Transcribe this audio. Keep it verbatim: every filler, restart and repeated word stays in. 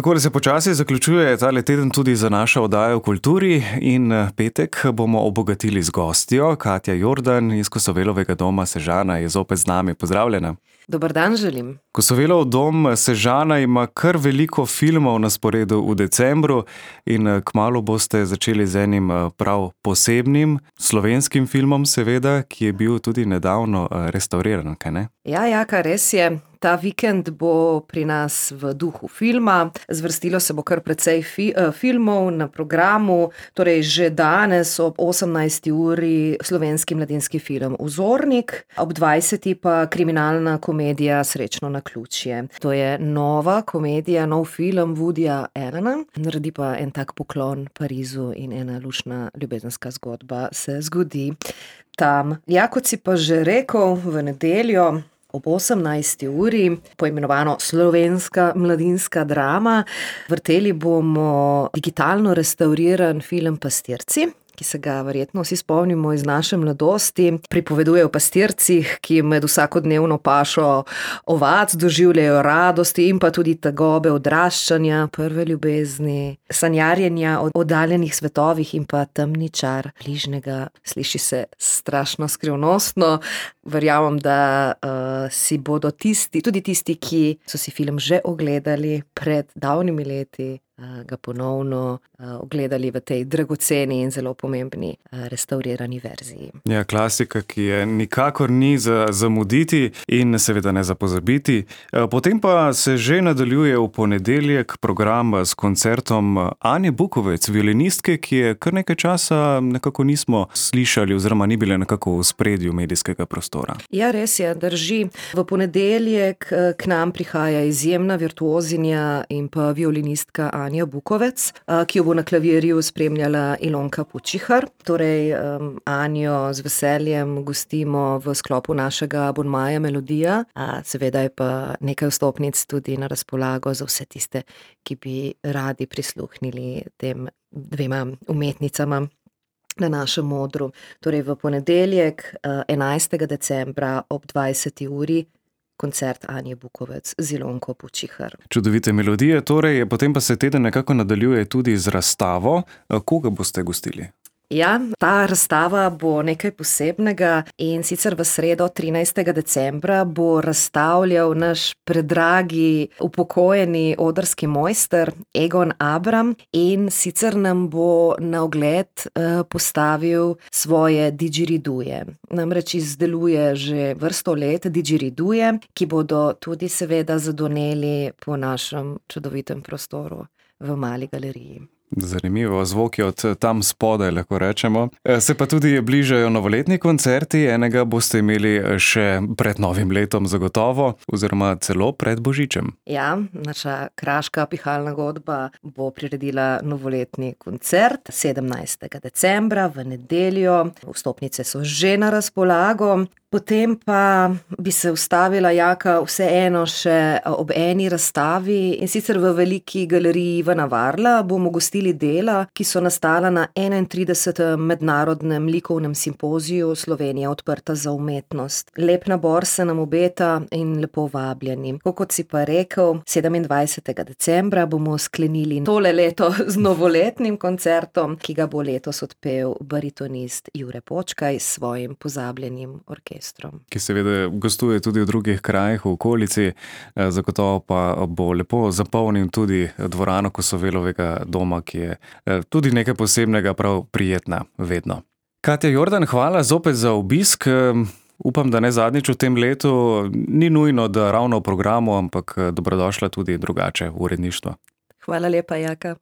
Takole se počasi zaključuje tale teden tudi za našo oddajo v kulturi in petek bomo obogatili z gostjo. Katja Jordan iz Kosovelovega doma Sežana je zopet z nami. Pozdravljena. Dober dan želim. Kosovelov dom Sežana ima kar veliko filmov na sporedu v decembru in kmalu boste začeli z enim prav posebnim slovenskim filmom, seveda, ki je bil tudi nedavno restavriran, kaj ne? Ja, Jaka, res je. Ta vikend bo pri nas v duhu filma. Zvrstilo se bo kar precej fi- filmov na programu. Torej že danes ob osemnajsti uri slovenski mladinski film Vzornik, ob dvajseti pa kriminalna komedija Srečno naključje. To je nova komedija, nov film Woodyja Allena. Naredi pa en tak poklon Parizu in ena luštna ljubezenska zgodba se zgodi tam. Ja, kot si pa že rekel, v nedeljo ob osemnajsti uri, poimenovano Slovenska mladinska drama, vrteli bomo digitalno restavriran film Pastirci, ki se ga verjetno vsi spomnimo iz naše mladosti. Pripoveduje o pastircih, ki med vsakodnevno pašo ovac doživljajo radosti in pa tudi tegobe odraščanja, prve ljubezni, sanjarjenja o oddaljenih svetovih in pa temni čar bližnjega. Sliši se strašno skrivnostno. Verjamem, da uh, si bodo tisti, tudi tisti, ki so si film že ogledali pred davnimi leti, ga ponovno uh, ogledali v tej dragoceni in zelo pomembni uh, restavrirani verziji. Ja, klasika, ki je nikakor ni za zamuditi in seveda ne za pozabiti. Potem pa se že nadaljuje v ponedeljek program s koncertom Anje Bukovec, violinistke, ki je kar nekaj časa nekako nismo slišali oziroma ni bile nekako v spredju medijskega prostora. Ja, res je, drži. V ponedeljek k nam prihaja izjemna virtuozinja in pa violinistka Anja Bukovec, ki jo bo na klavirju spremljala Ilonka Pučihar. Torej, um, Anjo z veseljem gostimo v sklopu našega abonmaja Melodija. A, seveda je pa nekaj vstopnic tudi na razpolago za vse tiste, ki bi radi prisluhnili tem dvema umetnicama na našem odru. Torej, v ponedeljek, enajstega decembra ob dvajseti uri, koncert Anje Bukovec z Ilonko Pučihar. Čudovite melodije, torej, potem pa se teden nekako nadaljuje tudi z razstavo. Koga boste gostili? Ja, ta razstava bo nekaj posebnega in sicer v sredo trinajstega decembra bo razstavljal naš predragi upokojeni odrski mojster Egon Abram in sicer nam bo na ogled uh, postavil svoje didgeriduje. Namreč izdeluje že vrsto let didgeriduje, ki bodo tudi seveda zadoneli po našem čudovitem prostoru v Mali galeriji. Zanimivo, zvoki od tam spodaj, lahko rečemo. Se pa tudi bližajo novoletni koncerti, enega boste imeli še pred novim letom zagotovo, oziroma celo pred Božičem. Ja, naša kraška pihalna godba bo priredila novoletni koncert sedemnajstega decembra v nedeljo. Vstopnice so že na razpolago. Potem pa bi se ustavila, Jaka, vseeno še ob eni razstavi in sicer v veliki galeriji Ivana Varla bomo gostili dela, ki so nastala na enaintridesetem mednarodnem likovnem simpoziju Slovenija odprta za umetnost. Lep nabor se nam obeta in lepo vabljeni. Kot si pa rekel, sedemindvajsetega decembra bomo sklenili tole leto z novoletnim koncertom, ki ga bo letos odpel baritonist Jure Počkaj s svojim pozabljenim orkestrom. Ki seveda gostuje tudi v drugih krajih v okolici, zagotovo pa bo lepo zapolnil tudi dvorano Kosovelovega doma, ki je tudi nekaj posebnega, prav prijetna vedno. Katja Jordan, hvala zopet za obisk. Upam, da ne zadnjič v tem letu. Ni nujno, da ravno v programu, ampak dobrodošla tudi drugače v uredništvo. Hvala lepa, Jaka.